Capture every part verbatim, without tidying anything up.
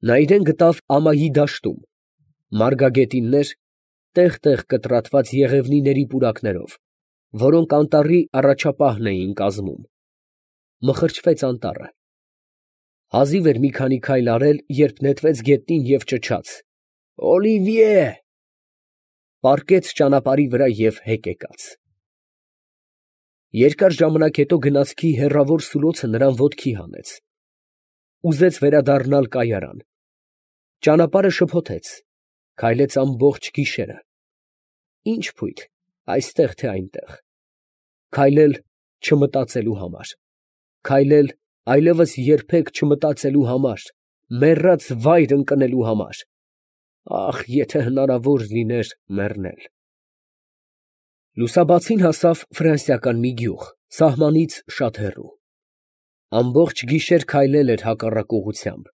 Նա իրան գտավ ամայի դաշտում, մարգագետիններ, տեղ֊տեղ կտրատված եղևնիների պուրակներով, որոնք անտառի առաջապահն էին կազմում. մխրճվեց անտառը։ Հազիվ էր մի քանի քայլ արել, երբ նետվեց գետնին և ճչաց. «Օլիվիե!» պառկեց ճանապարհի վրա և հետ եկավ։ Երկար ժամանակ հետո գնացքի հեռավոր սուլոցը նրան ոտքի հանեց։ Ուզեց վերադառնալ կայարան։ Ճանապարհը շփոթեց, քայլեց ամբողջ գիշերը։ Ի՞նչ փույթ, այստեղ թե այնտեղ։ Քայլել չմտածելու համար, քայլել այլևս երբեք չմտածելու համար, մեռած վայր ընկնելու համար… Ախ, եթե հնարավոր լիներ մեռնել… Լուսաբացին հասավ ֆրանսիական մի գյուղ, սահմանից շատ հեռու։ Ամբողջ գիշեր քայլել էր հակառակ ուղղությամբ,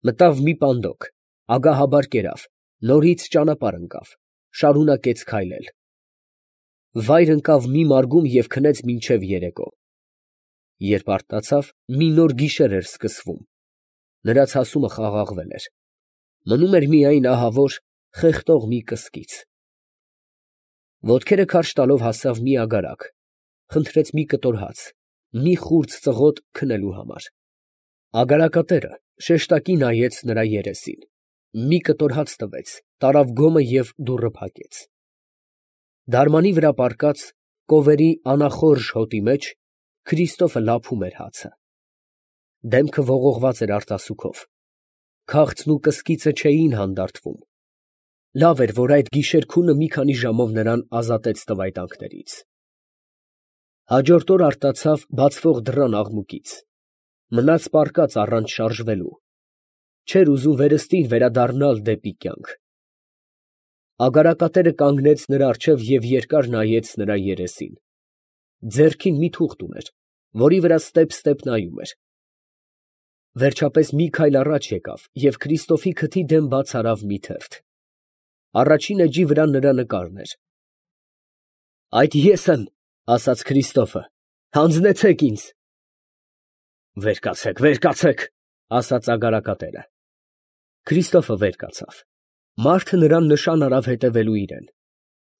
մտավ մի պանդոկ, ագահաբար կերավ, նորից ճանապարհ ընկավ, շարունակեց քայլել… Վայր ընկավ մի մարգում և քնեց մինչև երեկո։ Երբ արթնացավ, մի նոր գիշեր էր սկսվում, նրա ցասումը խաղաղվել էր, մնում էր միայն ահավոր, խեղդող մի կսկիծ… Ոտքերը քարշ տալով հասավ մի ագարակ, խնդրեց մի կտոր հաց, մի խուրձ ծղոտ քնելու համար… Ագարակատերը շեշտակի նայեց նրա երեսին, մի կտոր հաց տվեց, տարավ գոմը և դուռը փակեց… Դարմանի վրա պառկած, կովերի անախորժ հոտի մեջ Քրիստոֆը լափում էր հացը… Դեմքը ողողված էր արտասուքով, քաղցն ու կսկիծը չէին հանդարտվում… Լավ էր, որ այդ գիշեր֊քունը մի քանի ժամով նրան ազատեց տվայտանքներից… Հաջորդ օր արթնացավ բացվող դռան աղմուկից, մնաց պառկած առանց շարժվելու, չէր ուզում վերստին վերադառնալ դեպի կյանք… Ագարակատերը կանգնեց նրա առջև և երկար նայեց նրա երեսին… Ձեռքին մի թուղթ ուներ, որի վրա ստեպ֊ստեպ նայում էր… Վերջապես մի քայլ առաջ եկավ և Քրիստոֆի քթի դեմ բաց արավ մի թերթ… Առաջին էջի վրա նրա նկարն էր… ֊ Այդ ես եմ, ֊ ասաց Քրիստոֆը, ֊ հանձնեցե՛ք ինձ… ֊ Վեր կացեք, վեր կացեք, ֊ ասաց ագարակատերը… Քրիստոֆը վեր կացավ… Մարդը նրան նշան արավ հետևելու իրան…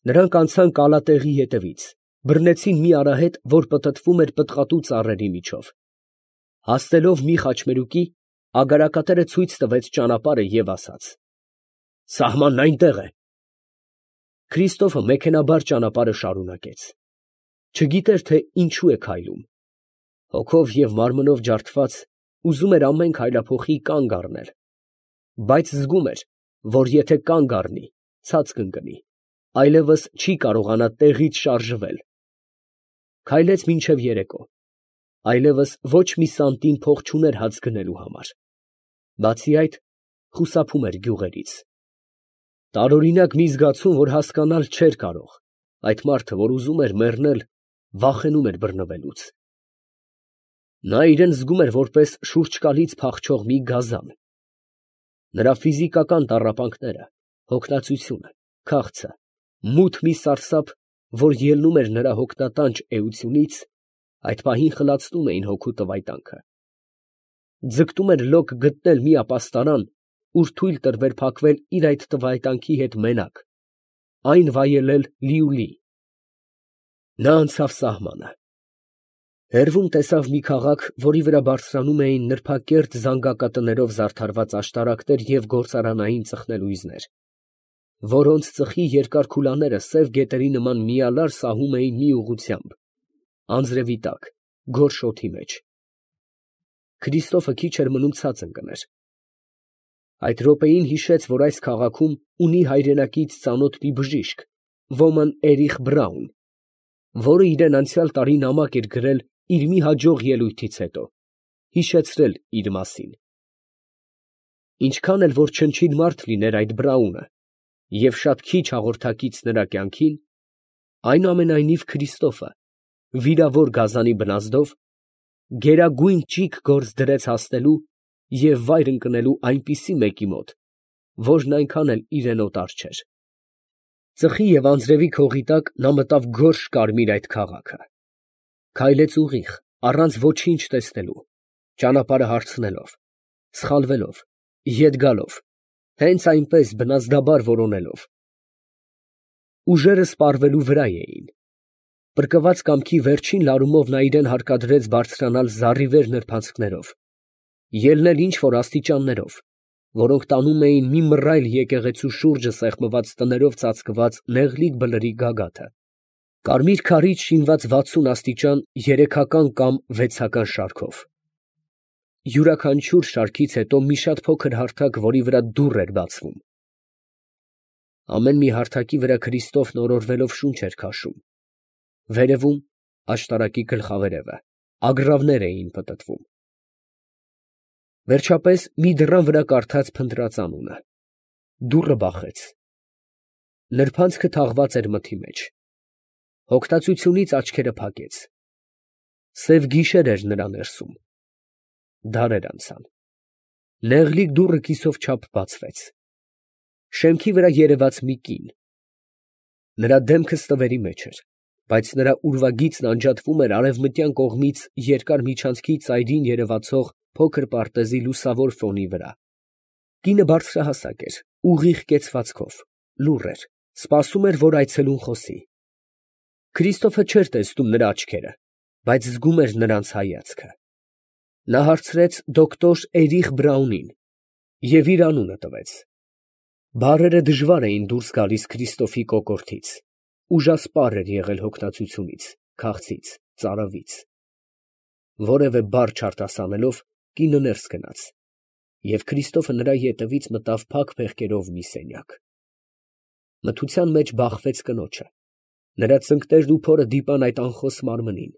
Նրանք անցան կալատեղի ետևից, բռնեցին մի արահետ, որ պտտվում էր պտղատու ծառերի միջով… Հասնելով մի խաչմերուկի, ագարակատերը ցույց տվեց ճանապարհը և ասաց. ֊ Սահմանն այնտեղ է… Քրիստոֆը մեքենայաբար ճանապարհը շարունակեց… Չգիտեր, թե ինչու է քայլում… Հոգով և մարմնով ջարդված, ուզում էր ամեն քայլափոխի կանգ առնել… Բայց զգում էր, որ եթե կանգ առնի, ցած կընկնի, այլևս չի կարողանա տեղից շարժվել… Քայլեց մինչև երեկո… Այլևս ոչ մի սանտիմ փող չուներ հաց գնելու համար… Բացի այդ, խուսափում էր գյուղերից… Տարօրինակ մի զգացում, որ հասկանալ չէր կարող, այդ մարդը, որ ուզում էր մեռնել, վախենում էր բռնվելուց… Նա իրան զգում էր որպես շուրջկալից փախչող մի գազան… Նրա ֆիզիկական տառապանքները, հոգնածությունը, քաղցը, մութ մի սարսափ, որ ելնում էր նրա հոգնատանջ էությունից, այդ պահին խլացնում էին հոգու տվայտանքը… Ձգտում էր լոկ գտնել մի ապաստարան, ուր թույլ տրվեր փակվել իր այդ տվայտանքի հետ մենակ, այն վայելել լիուլի… Նա անցավ սահմանը… Հեռվում տեսավ մի քաղաք, որի վրա բարձրանում էին նրբակերտ զանգակատներով զարդարված աշտարակներ և գործարանային ծխնելույզներ, որոնց ծխի երկար քուլաները սև գետերի նման միալար սահում էին մի ուղղությամբ, անձրևի տակ, գորշ օդի մեջ… Քրիստոֆը քիչ էր մնում ցած ընկներ… Այդ րոպեին հիշեց, որ այս քաղաքում ունի հայրենակից ծանոթ մի բժիշկ, ոմն Էրիխ Բրաուն, որը իրան անցյալ տարի նամակ էր գրել իր մի հաջող ելույթից հետո, հիշեցրել իր մասին… Ինչքան էլ որ չնչին մարդ լիներ այդ Բրաունը և շատ քիչ հաղորդակից նրա կյանքին, այնուամենայնիվ Քրիստոֆը, վիրավոր գազանի բնազդով, գերագույն ճիգ գործ դրեց հասնելու և վայր ընկնելու այնպիսի մեկի մոտ, որն այնքան էլ իրան օտար չէր… Ծխի և անձրևի քողի տակ նա մտավ գորշ կարմիր այդ քաղաքը… Քայլեց ուղիղ, առանց ոչինչ տեսնելու, ճանապարհը հարցնելով, սխալվելով, ետ գալով, հենց այնպես բնազդաբար որոնելով։ Ուժերը սպառվելու վրա էին։ Պրկված կամքի վերջին լարումով նա իրան հարկադրեց բարձրանալ զառիվեր նրբանցքներով, ելնել ինչ֊որ աստիճաններով, որոնք տանում էին մի մռայլ եկեղեցու շուրջը սեղմված տներով ծածկված նեղլիկ բլրի գագաթը, կարմիր քարից շինված վաթսուն աստիճան երեքական կամ վեցական շարքով։ Յուրաքանչյուր շարքից հետո մի շատ փոքր հարթակ, որի վրա դուռ էր բացվում։ Ամեն մի հարթակի վրա Քրիստոֆն օրորվելով շունչ էր քաշում։ Վերևում, աշտարակի գլխավերևը, ագռավներ էին պտտվում։ Վերջապես մի դռան վրա կարդաց փնտրած անունը։ Դուռը բախեց։ Նրբանցքը թաղված էր մթի մեջ։ Հոգտացությունից աչքերը փակեց։ Սև գիշեր էր նրա ներսում։ Դարեր անցան։ Նեղլիկ դուռը կիսով չափ բացվեց։ Շեմքի վրա երևաց մի կին։ Նրա դեմքը ստվերի մեջ էր, բայց նրա ուրվագիծն անջատվում էր արևմտյան կողմից երկար միջանցքի ծայրին երևացող փոքր պարտեզի լուսավոր ֆոնի վրա։ Կինը բարձրահասակ էր, ուղիղ կեցվածքով, լուռ էր, սպասում էր, որ այցելուն խոսի։ Քրիստոֆը չէր տեսնում նրա աչքերը, բայց զգում էր նրանց հայացքը։ Նա հարցրեց դոկտոր Էրիխ Բրաունին և իր անունը տվեց։ Բառերը դժվար էին դուրս գալիս Քրիստոֆի կոկորդից, ուժասպառ էր եղել հոգնածությունից, քաղցից, ծարավից։ Որևէ բառ չարտասանելով, կինը ներս գնաց, և Քրիստոֆը նրա ետևից մտավ փակ փեղկերով մի սենյակ։ Մթության մեջ բախվեց կնոջը, նրա ծնկներն ու փորը դիպան այդ անխոս մարմնին։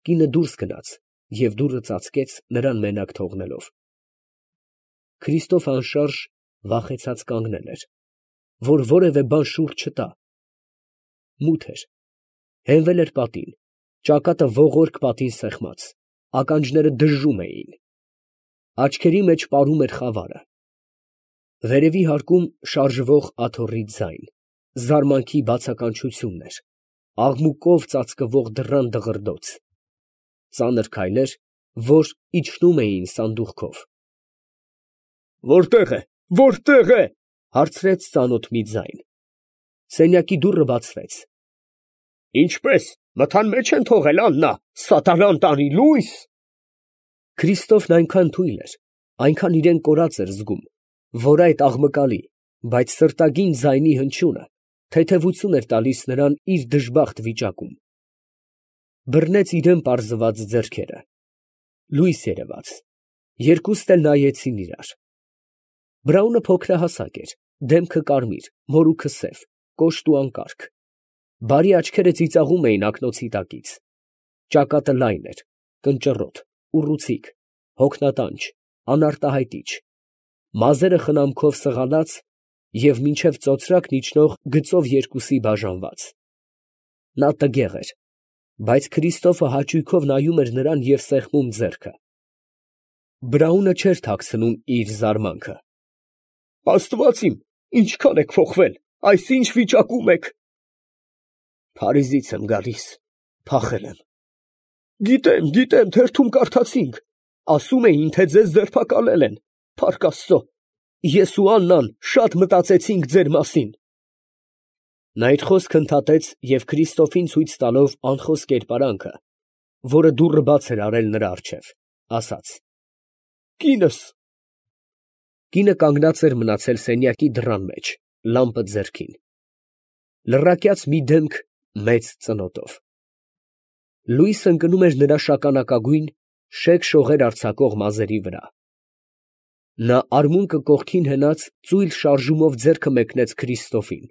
Կինը դուրս գնաց և դուռը ծածկեց, նրան մենակ թողնելով։ Քրիստոֆը անշարժ վախեցած կանգնել էր, որ որևէ բան շուռ չտա։ Մութ էր, հենվել էր պատին, ճակատը ողորկ պատին սեղմած, ականջները դժժում էին, աչքերի մեջ պարում էր խավարը։ Վերևի հարկում շարժվող աթոռի ձայն, զարմանքի բացականչությունն էր, աղմուկով ծածկվող դռան դղրդոց, ծանր քայլեր, որ իջնում էին սանդուղքով։ «Որտե՞ղ է, որտե՞ղ է» հարցրեց ծանոթ մի ձայն։ Սենյակի դուռը բացվեց։ «Ինչպե՞ս, մթան մեջ են թողել Աննա, սատանան տանի, լույս»։ Քրիստոֆն այնքան թույլ էր, այնքան իրան կորած էր զգում, որ այդ աղմկալի, բայց սրտագին ձայնի հնչյունը թեթևություն էր տալիս նրան իր դժբախտ վիճակում։ Բռնեց իրան պարզված ձեռքերը։ Լույս երևաց։ Երկուստ էլ նայեցին իրար։ Բրաունը փոքրահասակ էր, դեմքը կարմիր, մորուքը սև, կոշտ ու անկարգ։ Բարի աչքերը ծիծաղում էին ակնոցի տակից։ Ճակատը լայն էր, կնճռոտ, ուռուցիկ, հոգնատանջ, անարտահայտիչ, մազերը խնամքով սղալած և մինչև ծոծրակն իջնող գծով երկուսի բաժանված։ Նա տգեղ էր, բայց Քրիստոֆը հաճույքով նայում էր նրան և սեղմում ձեռքը։ Բրաունը չէր թաքցնում իր զարմանքը։ «Աստված իմ, ինչքան եք փոխվել, այս ի՞նչ վիճակում եք»։ «Փարիզից եմ գալիս, փախել եմ»։ «Գիտեմ, գիտեմ, թերթում կարդացինք, ասում էին, թե ձեզ ձերբակալել են, փառք Աստծո, ես ու Աննան շատ մտածեցինք ձեր մասին»։ Նա իր խոսքը ընդհատեց և Քրիստոֆին ցույց տալով անխոս կերպարանքը, որը դուռը բաց էր արել նրա առջև, ասաց. «Կինս»։ Կինը կանգնած էր մնացել սենյակի դռան մեջ, լամպը ձեռքին։ Լռակյաց մի դեմք մեծ ծնոտով։ Լույս ընկնում էր նրա շագանակագույն, շեկ շողեր արձակող մազերի վրա։ Նա արմունկը կողքին հենած ծույլ շարժումով ձեռքը մեկնեց Քրիստոֆին։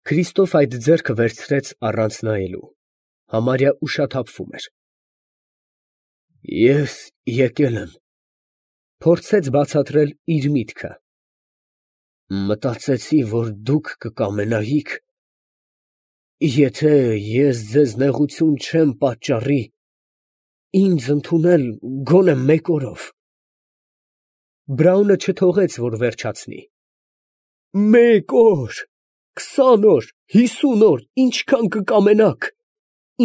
Քրիստոֆ այդ ձեռքը վերցրեց առանց նայելու, համարյա ուշաթափվում էր։ «Ես եկել եմ», փորձեց բացատրել իր միտքը։ «Մտածեցի, որ դուք կկամենայիք, եթե ես ձեզ նեղություն չեմ պատճառի, ինձ ընդունել գոնե մեկ օրով»։ Բրաունը չթողեց, որ վերջացնի։ «Մեկ օր, քսան օր, հիսուն օր, ինչքան կկամենաք,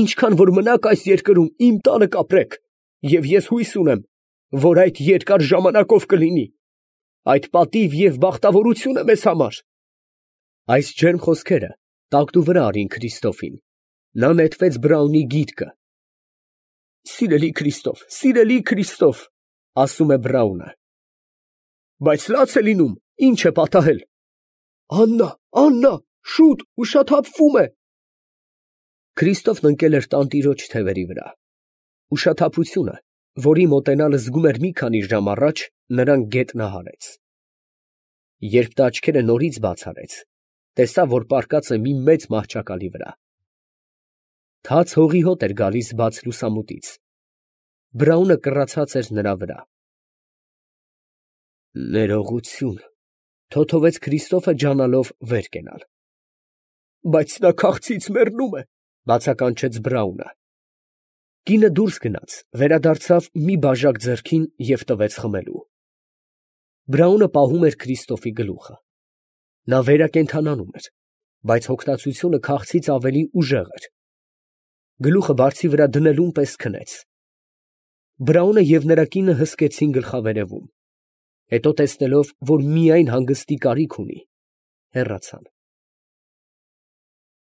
ինչքան որ մնաք այս երկրում, իմ տանը կապրեք, և ես հույս ունեմ, որ այդ երկար ժամանակով կլինի։ Այդ պատիվ և բախտավորություն է մեզ համար։ Այս ջերմ խոսքերը տակտու վրա արին Քրիստոֆին. նա նետվեց Բրաունի գիտկը։ «Սիրելի Քրիստոֆ, սիրելի Քրիստոֆ», ասում է Բրաունը։ Բայց լաց է լինում, ի՞նչ է պատահել։ Աննա, Աննա, շուտ, ուշաթափվում է։ Քրիստոֆն ընկել էր տանտիրոջ թևերի վրա։ Ուշաթափությունը, որի մոտենալը զգում էր մի քանի ժամ առաջ, նրան գետնահարեց։ Երբ նա աչքերը նորից բաց արեց, տեսավ, որ պառկած է մի մեծ մահճակալի վրա։ Թաց հողի հոտ էր գալիս բաց լուսամուտից։ Բրաունը կռացած էր նրա վրա։ Ներողություն, թոթովեց Քրիստոֆը ջանալով վեր կենալ։ Բայց նա քաղցից մեռնում է, բացականչեց Բրաունը։ Կինը դուրս գնաց, վերադարձավ մի բաժակ ձեռքին և տվեց խմելու։ Բրաունը պահում էր Քրիստոֆի գլուխը։ Նա վերակենդանանում էր, բայց հոգնածությունը քաղցից ավելի ուժեղ էր։ Գլուխը բարձի վրա դնելուն պես քնեց։ Բրաունը և նրա կինը հսկեցին գլխավերևում, հետո տեսնելով, որ միայն հանգստի կարիք ունի, հեռացան։